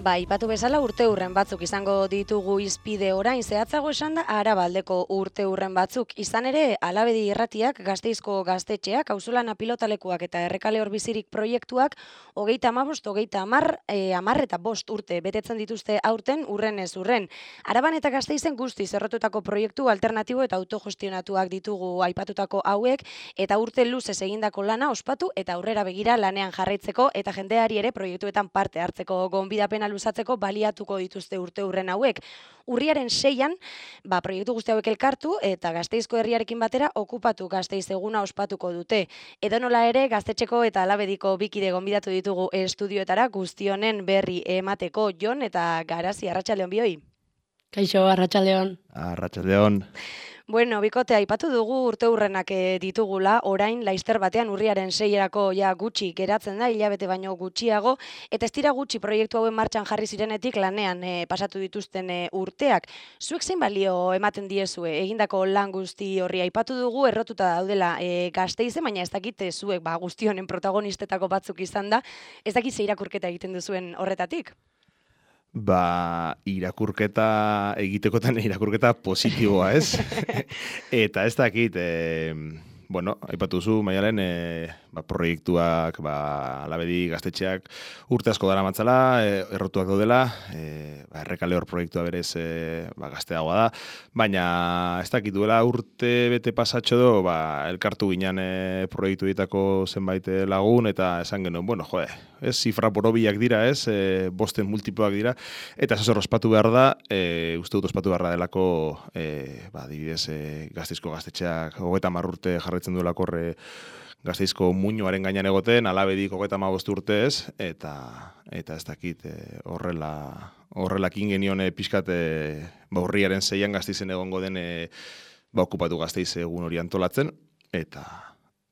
Ba, ipatu bezala urteurren batzuk izango ditugu izpide orain, zehatzago esan da Arabaldeko urteurren batzuk. Izan ere, Alabedi irratiak, Gasteizko gaztetxeak, auzolana pilotalekuak eta errekale horbizirik proiektuak, 30 eta 5 urte betetzen dituzte aurten urrenez urren. Araban eta Gasteizen guztiz errotutako proiektu alternatibo eta autogestionatuak ditugu aipatutako hauek, eta urte luzez egindako lana ospatu eta aurrera begira lanean jarraitzeko eta jendeari ere proiektuetan parte hartzeko gonbidapena luzatzeko baliatuko dituzte urteurren hauek. Urriaren 6an, proiektu guzti hauek elkartu eta Gasteizko herriarekin batera okupatu Gasteiz eguna ospatuko dute. Edonola ere, Gaztetxeko eta Alabediko bikide gonbidatu ditugu estudioetara guztionen berri emateko. Jon eta Garazi, arratsaldeon bioi. Kaixo, arratsaldeon. Arratsaldeon. Bueno, bikote, aipatu dugu urteurrenak ditugula, orain Laister batean urriaren 6erako gutxi geratzen da, hilabete baino gutxiago, eta ez dira gutxi proiektu hauen martxan jarri zirenetik lanean pasatu dituzten urteak. Zuek zein balio ematen diezue, egindako lan guzti horri aipatu dugu, errotuta daudela Gasteize, baina ez dakit zuek guzti honen protagonistetako batzuk izan da, ez dakit ze irakurketa egiten duzuen horretatik? Irakurketa egitekotan irakurketa positiboa, ez? Eta ez dakit, aipatu zu, Maialen, proiektuak, Alabedi gaztetxeak urte asko dara matzala, errotuak daudela, errekale hor proiektua berez gazteagoa da, baina ez dakit duela urte bete pasatxo do, elkartu ginen proiektu ditako zenbait lagun, eta esan genuen, ez zifra borobiak dira, ez, bosten multipoak dira, eta zazor ospatu behar da, uste dut ospatu behar da delako, adibidez, Gasteizko gaztetxeak 30 urte jarraitzen duelako Gasteizko muinoaren gainean egoten, Alabedik 35 urte ez, eta ez dakit horrelakin genion pixkat urriaren 6an Gasteizen egongo den okupatu Gasteiz egun hori antolatzen, eta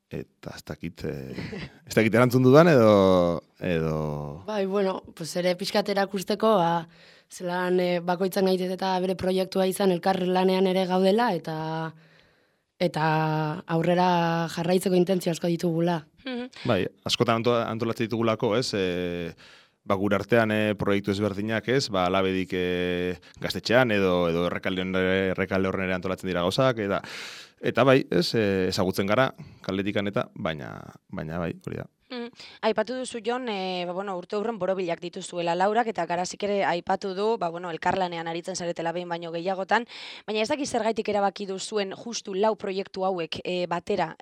ez dakit erantzun dudan edo... ere pixkat erakusteko, zelan bakoitzan gaitet eta bere proiektua izan elkar lanean ere gaudela, eta aurrera jarraitzeko intentzio asko ditugula. Bai, askotan antolatzen ditugulako, ez? Gure artean proiektu ezberdinak, ez? Alabedik gaztetxean edo errekalde horren ere antolatzen dira gauzak, eta bai, ez? Ezagutzen gara, kaldetikan eta, baina bai, hori da. Aipatu duzu, Jon, urteurren borobilak dituzuela Laurak, eta Garazik ere aipatu du, elkarlanean aritzen zaretela behin baino gehiagotan, baina ez dakit zergaitik erabaki duzuen justu lau proiektu hauek batera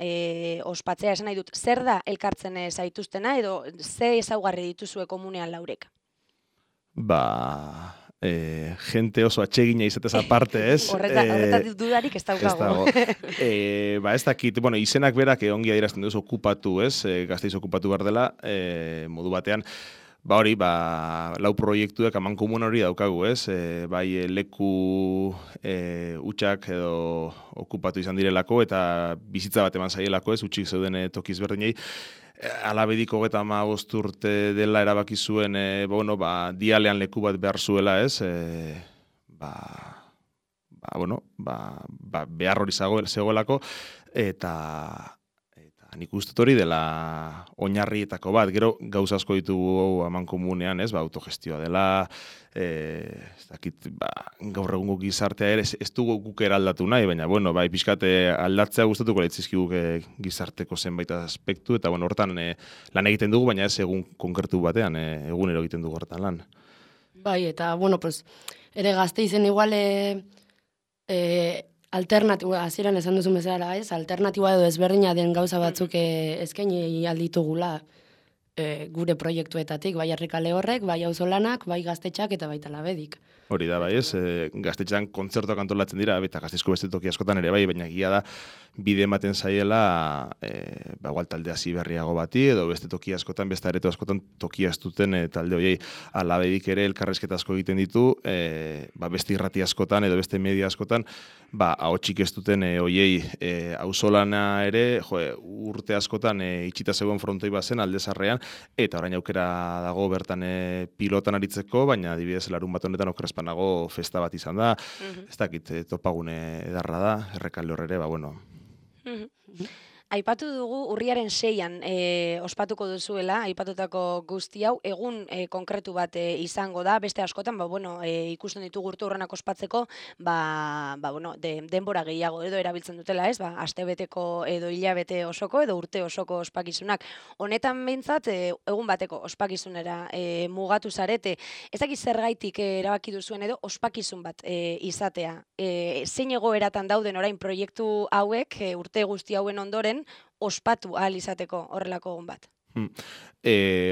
ospatzea, esan nahi dut, zer da elkartzen zaituztena, edo ze ezaugarri dituzue komunean Laurek? Gente oso atsegina izatez aparte, ez? Horretatik dudarik ez daukago. Ez dakit, izenak berak ongi adierazten duz okupatu, ez? Gasteiz okupatu behar dela, modu batean, lau proiektuek amankomun hori daukagu, ez? Bai leku utxak edo okupatu izan direlako, eta bizitza bat eman zaielako, ez? Utxik zeuden tokiz berdinei. Alabedik 35 urte dela erabaki zuen, dialean leku bat behar zuela, ez? Behar hori zegoelako, eta nik uste hori dela oinarrietako bat, gero gauza asko ditugu amankomunean, ez? Autogestioa dela, ez dakit, gaur egungo gizartea ere, ez dugu guk eraldatu nahi, baina, pixkate aldatzea gustatuko leitzizkiguk gizarteko zenbait aspektu, eta, hortan lan egiten dugu, baina ez egun konkretu batean, egunero egiten dugu hortan lan. Bai, eta, ere Gasteizen igual alternatiba, hasieran esan duzu bezala, ez? Alternatiba edo ezberdina den gauza batzuk eskaini alditugula gure proiektuetatik, bai errekale horrek, bai auzolanak, bai gaztetxak eta baita Alabedik. Hori da, bai, ez? Gaztetxean kontzertuak antolatzen dira, eta Gasteizko beste toki askotan ere, bai, baina egia da bide ematen zaiela igual talde hasi berriago bati, edo beste toki askotan, beste areto askotan tokia ez duten talde horiei. Alabedik ere elkarrezketa asko egiten ditu, beste irrati askotan edo beste media askotan, ahotsik ez duten horiei auzolana ere, urte askotan itxita zegoen frontoi bazen aldezarrean, eta orain aukera dago bertan pilotan aritzeko, baina adibidez larun bat honetan okerrezpanago festa bat izan da, ez dakit topagune edarra da, errekalde horrere, Aipatu dugu urriaren 6an ospatuko duzuela, aipatutako guzti hau, egun konkretu bat izango da, beste askotan, ikusten ditugu urte hurrenak ospatzeko, denbora gehiago edo erabiltzen dutela, ez? Astebeteko edo hilabete osoko edo urte osoko ospakizunak. Honetan behintzat, egun bateko ospakizunera mugatu zarete. Ez dakit zergaitik erabaki duzuen edo ospakizun bat izatea. Zein egoeratan dauden orain proiektu hauek, urte guzti hauen ondoren, ospatu ahal izateko horrelako egun bat.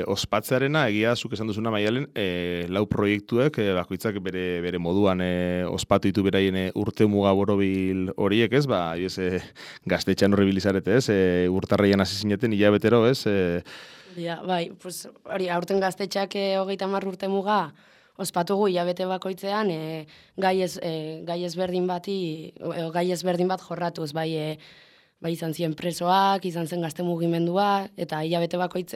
Ospatzearena, egia zuk esan duzuna Maialen, lau proiektuek, bakoitzak bere moduan ospatu ditu beraien urte muga borobil horiek, ez? Gaztetxean horri bilizarete, ez? Urtarreian hasi zineten, hilabetero, ez? Bai, hori, aurten gaztetxeak 30 urte muga, ospatugu hilabete bakoitzean gai ezberdin bat jorratuz, bai izan ziren presoak, izan zen gazte mugimendua, eta hilabete bakoitz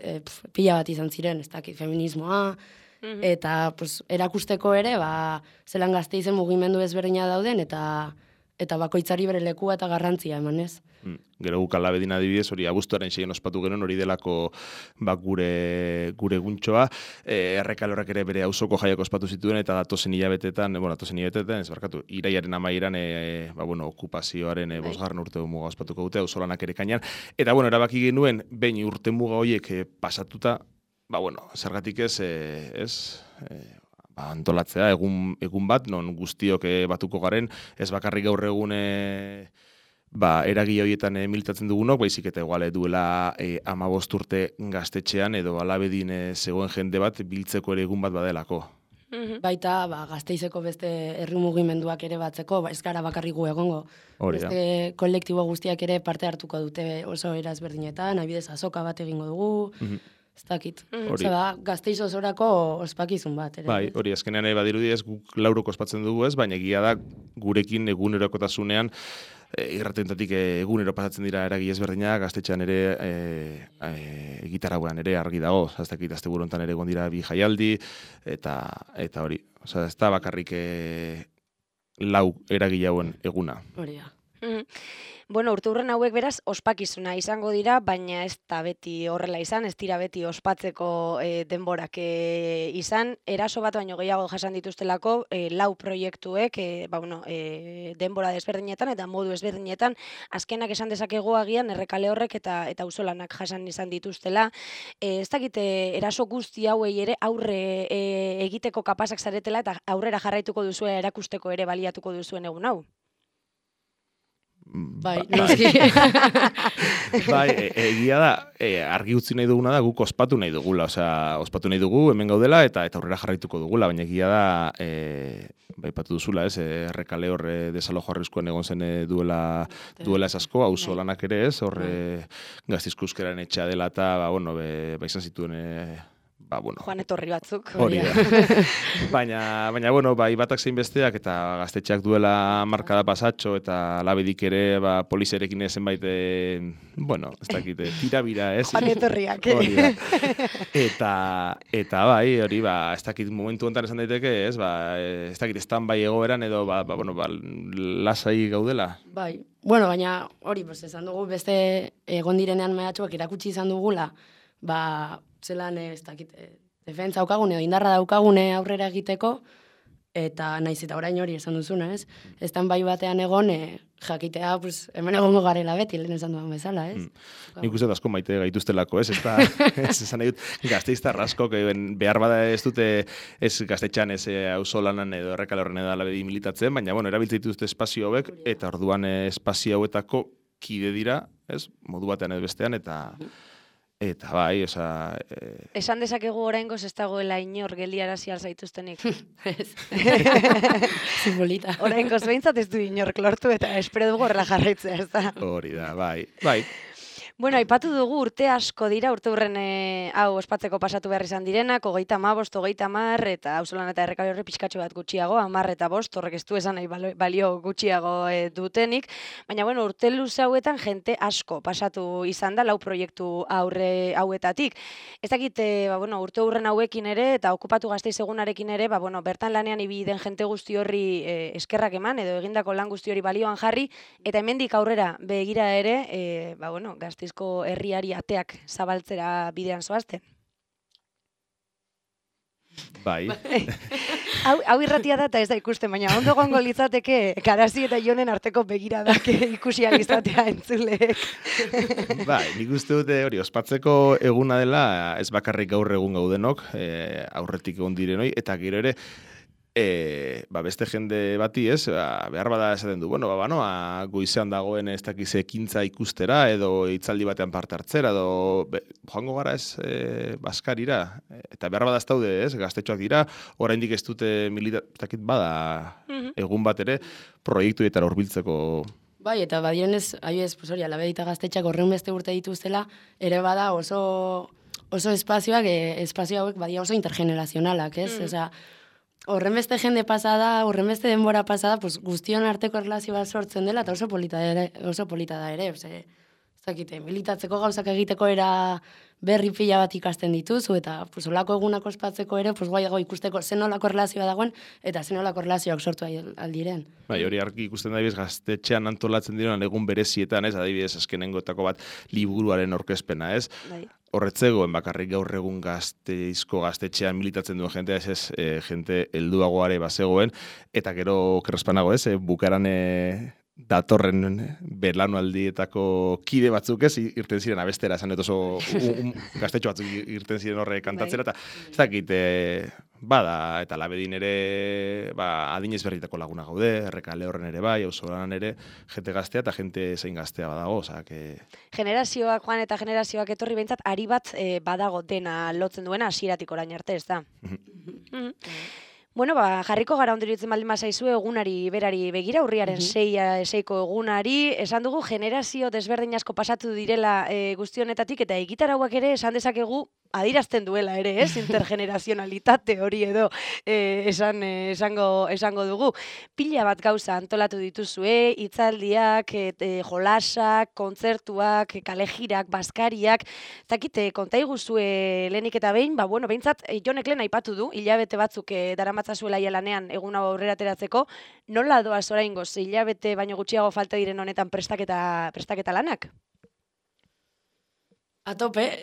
pila bat izan ziren, ez dakit, feminismoa, eta erakusteko ere, zelan gazte izen mugimendu ezberdina dauden, eta bakoitzari bere lekua eta garrantzia emanez. Gero guk Alabedin adibidez, hori abuztuaren 6an ospatu genuen, hori delako gure guntxoa. Errekalorrak ere bere auzoko jaiak ospatu zituen, eta datozen hilabetetan, iraiaren amaieran, okupazioaren 5. urte muga ospatuko dute, auzolanak ere kainan. Eta, erabaki genuen, behin urte muga horiek pasatuta, zergatik antolatzea, egun bat, non guztiok batuko garen, ez bakarrik gaur egun eragile horietan militatzen dugunok, baizik eta igual duela 15 urte gaztetxean edo Alabedin zegoen jende bat biltzeko ere egun bat badelako. Baita, Gasteizeko beste herri mugimenduak ere batzeko, ez gara bakarrik gu egongo. Beste kolektibo guztiak ere parte hartuko dute oso era ezberdinetan, adibidez azoka bat egingo dugu, ez dakit. Gasteiz osorako ospakizun bat. Bai, hori, azkenean badirudi ez guk lauroko ospatzen dugu ez, baina egia da gurekin egunerokotasunean irratentatik egunero pasatzen dira eragi ezberdinak, gaztetxean ere gitarragoan ere argi dago, ez dakit asteburu hontan ere egon dira 2 jaialdi, eta hori, ez da bakarrik lau eragile hauen eguna. Hori da. Urte hurren hauek beraz ospakizuna izango dira, baina ez da beti horrela izan, ez dira beti ospatzeko denborak izan. Eraso bat baino gehiago jasan dituztelako, lau proiektuek, denbora desberdinetan eta modu ezberdinetan, azkenak esan dezakegu agian Errekale horrek eta auzolanak jasan izan dituztela. Ez dakit eraso guzti hauei ere aurre egiteko kapazak zaretela eta aurrera jarraituko duzue erakusteko ere baliatuko duzuen egun hau. Bai, noski. Bai, egia da, argi utzi nahi duguna da, guk ospatu nahi dugula, ospatu nahi dugu, hemen gaudela, eta aurrera jarraituko dugula, baina egia da, baipatu duzula, ez, Errekale horre desalojo arriskuan egon zen duela ez asko, auzolanak ere ez, horre Gaztizko-Euskararen etxea dela, eta, izan zituen, Joan etorri batzuk. Hori da. Baina, batak zein besteak eta gaztetxeak duela markada pasatxo eta Alabedik ere polizerekin zenbait, ez dakit, tirabira, ez? Joan etorriak. Hori da. Eta hori, ez dakit momentu honetan esan daiteke, ez? Ez dakit, stand-by egoeran edo, lasai gaudela. Bai, baina hori, esan dugu, beste egon direnean mehatxuak erakutsi izan dugula, zelan, ez dakit, defentsa daukagune, indarra daukagune aurrera egiteko, eta naiz eta orain hori esan duzuna, ez? Estan bai batean egon, jakitea, hemen egongo garela beti, lehen esan duan bezala, ez? Nik uste asko maite gaituztelako, ez? Ez esan nahi dut, gazteiztar askok, behar bada ez dute, ez gaztetxan, ez auzolanan edo Errekale horren edo Alabedi militatzen, baina, erabiltzen dituzte espazio hauek, eta orduan espazio hauetako kide dira, ez? Modu batean edo bestean, eta bai, Esan dezakegu oraingoz ez dagoela inor geldiarazi zaituztenik. Ez. Simbolita. Oraingoz behintzat ez du inork lortu eta espero dugu horrela jarraitzea, ez da? Hori da, bai. Bueno, aipatu dugu urte asko dira, urte hurren hau ospatzeko pasatu behar izan direnak, 35, 30, eta auzolan eta errekabide horri pixkatxo bat gutxiago, 10 eta 5, horrek ez du esan nahi balio gutxiago dutenik, baina bueno, urte luze hauetan jente asko pasatu izan da, 4 proiektu hauetatik. Ez dakit, urte hurren hauekin ere, eta okupatu Gasteiz egunarekin ere, bertan lanean ibili den jente guzti horri eskerrak eman, edo egindako lan guzti hori balioan jarri, eta hemendik aurrera begira ere, Gasteizko herriari ateak zabaltzera bidean zoazte. Bai. Hau irratia da eta ez da ikusten, baina ondo gongo litzateke Garazi eta Jonen arteko begiradak ikusi alizatea entzuleek. Bai, nik uste dute hori, ospatzeko eguna dela, ez bakarrik gaur egun gaudenok, aurretik egon direnoi, eta gero ere, beste jende bati ez, behar bada esaten du, goizean dagoen ez dakiz ekintza ikustera, edo hitzaldi batean parte hartzera, edo joango gara ez Baskarira, eta behar bada ez daude ez, gaztetxoak dira, oraindik ez dute militakit bada egun bat ere, proiektuetara hurbiltzeko. Bai, eta badirenez, Alabedita gaztetxak horren beste urte dituztela, ere bada oso espazioak, espazio hauek badia oso intergenerazionalak, ez? Osea, horren beste jende pasada, horren beste denbora pasada, pues, guztion arteko erlazio bat sortzen dela, eta oso polita da ere. Ez dakite, militatzeko gauzak egiteko era berri pila bat ikasten dituzu, eta pues, olako egunak ospatzeko ere, pues, guaiago ikusteko zen olako erlazioa dagoen, eta zen olako erlazioak sortu aldiren. Bai, hori argi ikusten da, gaztetxean antolatzen diren egun berezietan, ez, adibidez, azkenengotako bat liburuaren orkezpena, ez? Bai. Horretzegoen bakarrik gaur egun Gasteizko gaztetxean militatzen duen jentea, ez jente helduagoare bazegoen, eta gero kerrespanago ez, bukaran datorren belanualdietako kide batzuk ez, irten ziren abestera, esan oso gaztetxo batzuk irten ziren horre kantatzera, eta ez dakit, bada, eta Labedin ere, adinez berritako laguna gaude, Errekale horren ere bai, auzolan ere, jente gaztea eta jente zein gaztea badago, osak... Generazioak joan eta generazioak etorri behintzat, ari bat badago dena lotzen duena hasieratik orain arte, ez da? Bueno, jarriko gara ondiritzen baldin bazaizu egunari berari begira, urriaren 6ko egunari, esan dugu generazio desberdin asko pasatu direla guzti honetatik, eta egitarauak ere esan dezakegu adirazten duela ere, ez? Intergenerazionalitate hori edo esango dugu. Pila bat gauza antolatu dituzue, hitzaldiak, jolasak, kontzertuak, kalejirak, baskariak, zakite, konta iguzue lehenik eta behin, behintzat, Jonek lehen aipatu du, hilabete batzuk daramatzazuela lanean egun hau aurrera ateratzeko, nola doaz oraingoz, hilabete baino gutxiago falta diren honetan prestaketa lanak? A tope.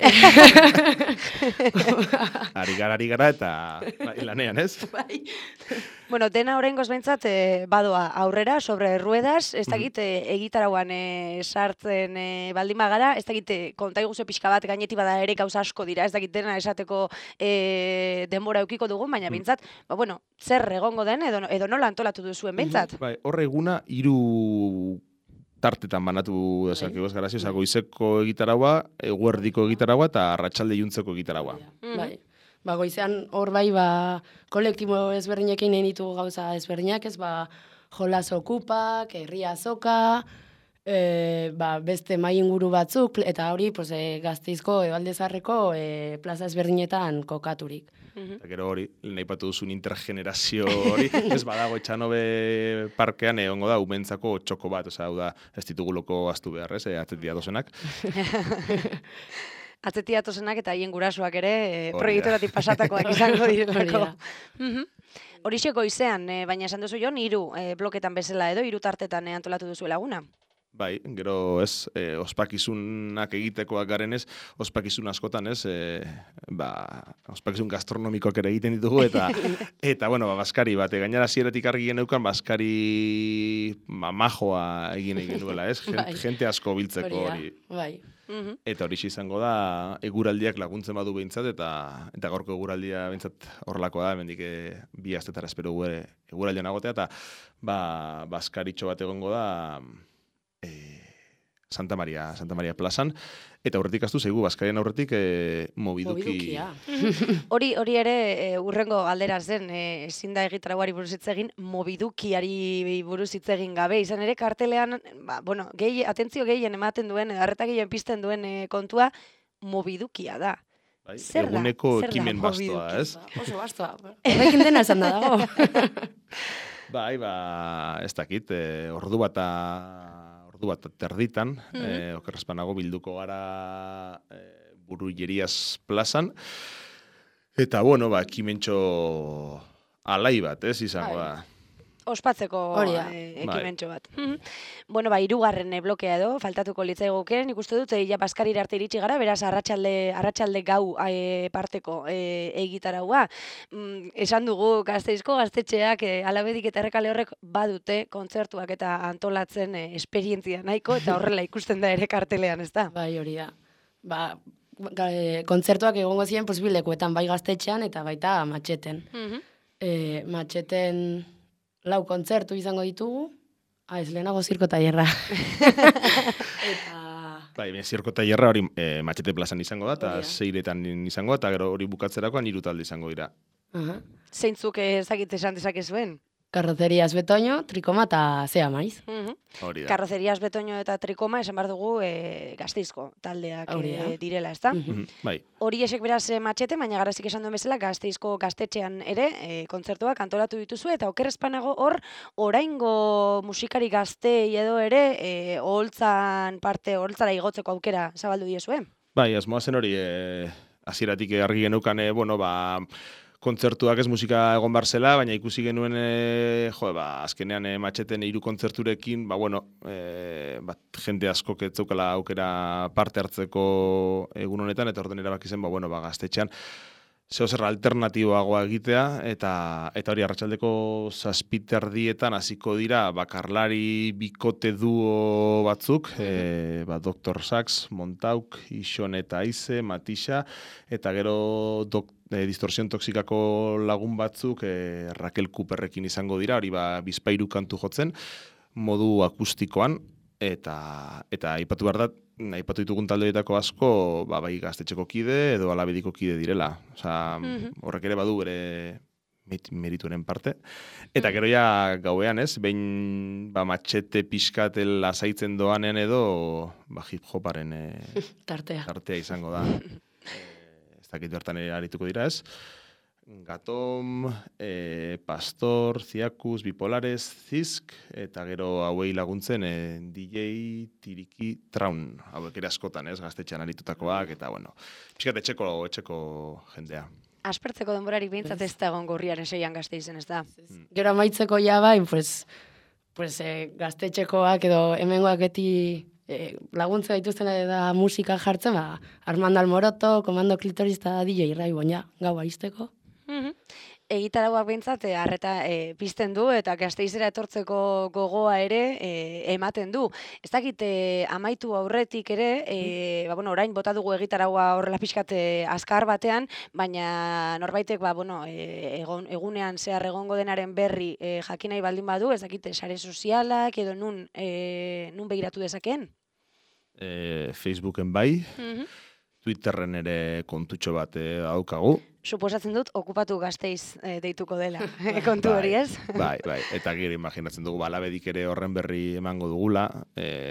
Ari gara eta lanean, ez? Bai. Bueno, dena oraingoz behintzat badoa aurrera, sobre ruedas, ez dakit egitarauan sartzen baldin bagara, ez dakit konta iguzu pixka bat gaineti bada ere gauza asko dira, ez dakit dena esateko denbora eukiko dugun, baina behintzat, zer egongo den edo nola antolatu duzuen behintzat? Bai, horre eguna 3 tartetan banatu dezakegu ez Garazio, goizeko egitaraua, eguerdiko egitaraua eta arratsalde iluntzeko egitaraua. Bai. Goizean hor bai, kolektibo ezberdinekin egin ditugu gauza ezberdinak, ez jolas okupak, herria azoka, beste mai inguru batzuk, eta hori Gasteizko Ebaldezarreko plaza ezberdinetan kokaturik. Eta gero hori, nahi patu duzun intergenerazio hori, ez badago Etxanobe parkean egongo da, umentzako txoko bat, hau da, ez dituguloko aztu behar, ez, atzetia dozenak. Atzetia dozenak eta haien gurasoak ere proiektoratik pasatakoak izango direlako. Horixe goizean, baina esan duzu Jon, 3 bloketan bezala edo, 3 tartetan antolatu duzu laguna. Bai, gero ez, ospakizunak egitekoak garen ez, ospakizun askotan ez, ospakizun gastronomikoak ere egiten ditugu, eta baskari bat, gainera zieratik argi geneukan, baskari majoa egin duela ez, jente asko biltzeko hori. Bai. Eta hori izango da, eguraldiak laguntzen badu behintzat, eta gaurko eguraldia behintzat horrelako da, hemendik 2 astetara espero eguraldian agotea, eta baskaritxo bat egongo da, Santa Maria plazan, eta aurretik astu zaigu, Bazkarian aurretik mobiduki... Mobidukia. Hori ere urrengo galdera zen, ezin da egitarauari buruz hitz egin, mobidukiari buruz hitz egin gabe. Izan ere kartelean, atentzio gehien ematen duen, arreta gehien pizten duen kontua, mobidukia da. Bai, Zer da? eguneko Zer da ekimen bastoa, mobiduki? ez? Oso bastoa. Horrekin dena esan da dago. Bai, ez dakit, ordu bat terditan, okerrezpanago bilduko gara Burullerias plazan, eta, ekimentxo alai bat, ez, izango da. Ospatzeko Hori da. ekimentxo bat. Hirugarren blokea edo, faltatuko litzaiguke, nik uste dut, ja Bazkarira arte iritsi gara, beraz, arratsalde gau parteko egitaraua. Esan dugu, Gasteizko gaztetxeak, Alabedik eta Errekale horrek badute kontzertuak eta antolatzen esperientzia nahiko, eta horrela ikusten da ere kartelean, ez da? Bai, hori da. Kontzertuak egongo ziren posibilekuetan, bai Gaztetxean eta baita Matxeten. Matxeten 4 kontzertu izango ditugu, ez lehenago zirko tailerra. Bai, zirko tailerra hori Matxete plazan izango da, eta 6etan izango da, eta gero hori bukatzerakoan 3 talde izango dira. Zeintzuk ezagite esan dezakezuen? Karrozerias Betoño, Trikoma eta Zea Maiz. Hori da. Karrozerias Betoño eta Trikoma esan behar dugu Gasteizko taldeak direla, ezta? Bai. Hori esek beraz Matxete, baina Garazik esan duen bezala Gasteizko gaztetxean ere kontzertuak antolatu dituzu, eta okerrezpanago hor oraingo musikari gaztei edo ere oholtzara igotzeko aukera zabaldu diezue? Bai, asmoa zen hori hasieratik argi geneukan, kontzertuak ez musika egon bar zela, baina ikusi genuen azkenean Matxeten 3 kontzerturekin, jende askok ez zeukala aukera parte hartzeko egun honetan, eta orduan erabaki zen, Gaztetxean zeozer alternatiboagoa egitea, eta hori arratsaldeko 7:30 hasiko dira bakarlari bikote duo batzuk, Dr. Sax, Montauk, Ixon eta Aize, Matisa, eta gero Distorsión Toxikako lagun batzuk Raquel Cooperrekin izango dira, hori bizpairu kantu jotzen, modu akustikoan, eta aipatu behar da, aipatu ditugun taldeetako asko, bai Gaztetxeko kide edo Alabediko kide direla. Horrek ere badu bere merituaren parte. Eta gero ja gauean, ez, behin Matxete pixkatel lasaitzen doanen edo hip-hoparen tartea izango da. Ez dakit bertan arituko dira, ez? Gatom, Pastor, Ziakus, Bipolares, Zisk, eta gero hauei laguntzen DJ Tiriki Traun. Hauek ere askotan, ez, Gaztetxean aritutakoak, eta pixkat etxeko jendea. Aspertzeko denborarik behintzat ez da egon gorriaren 6an Gasteizen, ez da? Gero amaitzeko ja bai, Gaztetxekoak edo hemengoak beti laguntza dituzten da musika jartzen, Armando Almoroto, Komando Klitoris eta DJ Raibon, gau aizteko. Egitarauak behintzat arreta pizten du eta Gasteizera etortzeko gogoa ere ematen du. Ez dakit amaitu aurretik ere, orain bota dugu egitaraua horrela pixkat azkar batean, baina norbaitek egunean zehar egongo denaren berri jakin nahi baldin badu, ez dakit sare sozialak edo nun begiratu dezakeen? Facebooken bai, Twitterren ere kontutxo bat daukagu. Suposatzen dut, okupatu Gasteiz deituko dela, kontu hori ez? Bai, eta gero imaginatzen dugu, Alabedik ere horren berri emango dugula,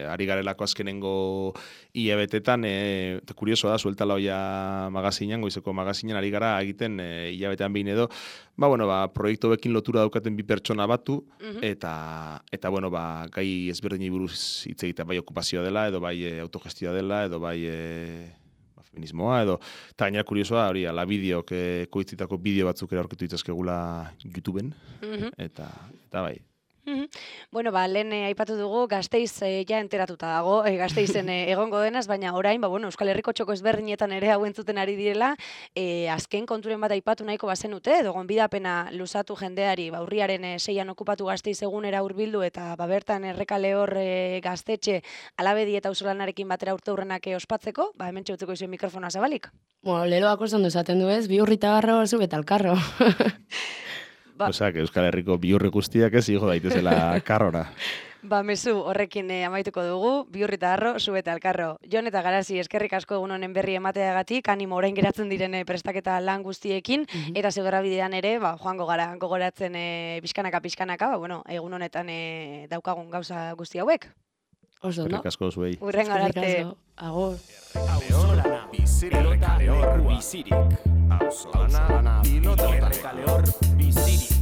ari garelako azkenengo hilabetetan, eta kurioso da, sueltala hoia magazinan, goizeko magazinan, ari gara egiten hilabetean behin edo, proiektu bekin lotura daukaten 2 pertsona batu, eta gai ezberdinei buruz hitz egiten, bai okupazioa dela, edo bai autogestioa dela, edo bai feminismoa, edo, eta gainera kuriosoa, hori, Alabideok koitzitako bideo batzuk ere aurkitu ditzazkegula YouTubeen, eta bai. Lehen aipatu dugu, Gasteiz ja enteratuta dago, Gasteizen egongo denaz, baina orain, Euskal Herriko txoko ezberdinetan ere hau entzuten ari direla, azken konturen bat aipatu nahiko bazenute, edo gonbidapena luzatu jendeari, urriaren 6an okupatu Gasteiz egunera hurbildu, eta bertan Errekale hor Gaztetxe, Alabedi eta Auzolanarekin batera urte hurrenak ospatzeko, hemen txutzeko izuen mikrofona zabalik. Leloako zondo esaten du ez, 2 urrita barro, zu betalkarro. Osak, Euskal Herriko bihurri guztiak ez igo daitezela karrora. Mezu, horrekin amaituko dugu, Bihurri eta Harro, Su eta Elkarro. Jon eta Garazi, eskerrik asko egun honen berri emateagatik, animo orain geratzen diren prestaketa lan guztiekin, eta zigorra bidean ere, joango gara, gogoratzen pixkanaka, egun honetan daukagun gauza guzti hauek. Oso, no? Eskerrik asko zuei. Urrengo arte. Agur. Auzolana, errekaleor bizirik. Auzolana, errekaleor bizirik.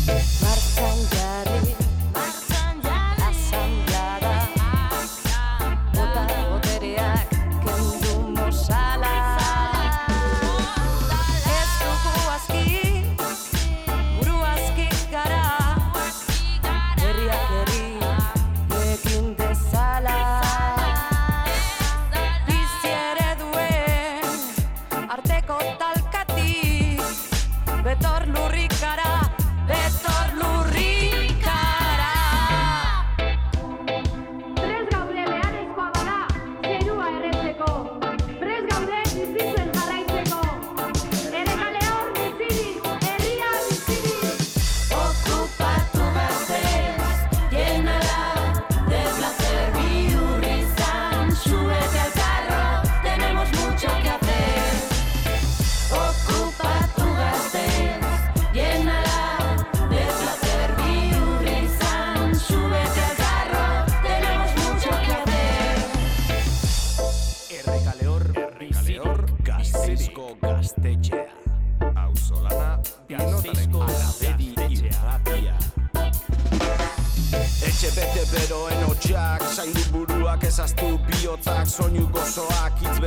Martxan jarri, asamblada, bota botereak kendu mozala. Ez dugu aski, buru aski gara, herriak herri egin dezala. Bizi ereduen arteko talkatik, betor lurrikara. Betor lurrikara. Prest gaude beharrezkoa bada, zerua erretzeko. Prest gaude bizitzen jarraitzeko. Errekaleor bizirik, herria bizirik. Okupatu gaztez, llenala de placer. Bihurrizan, Su eta Elkarro, tenemos mucho que hacer. Okupatu gaztez, llenala. Gaztetxea. Auzolana, Gasteizko Alabedi-Irratia. Etxe bete beroen hotxak, zaindu buruak ezaztu bihotzak, soinu gozoak, hitz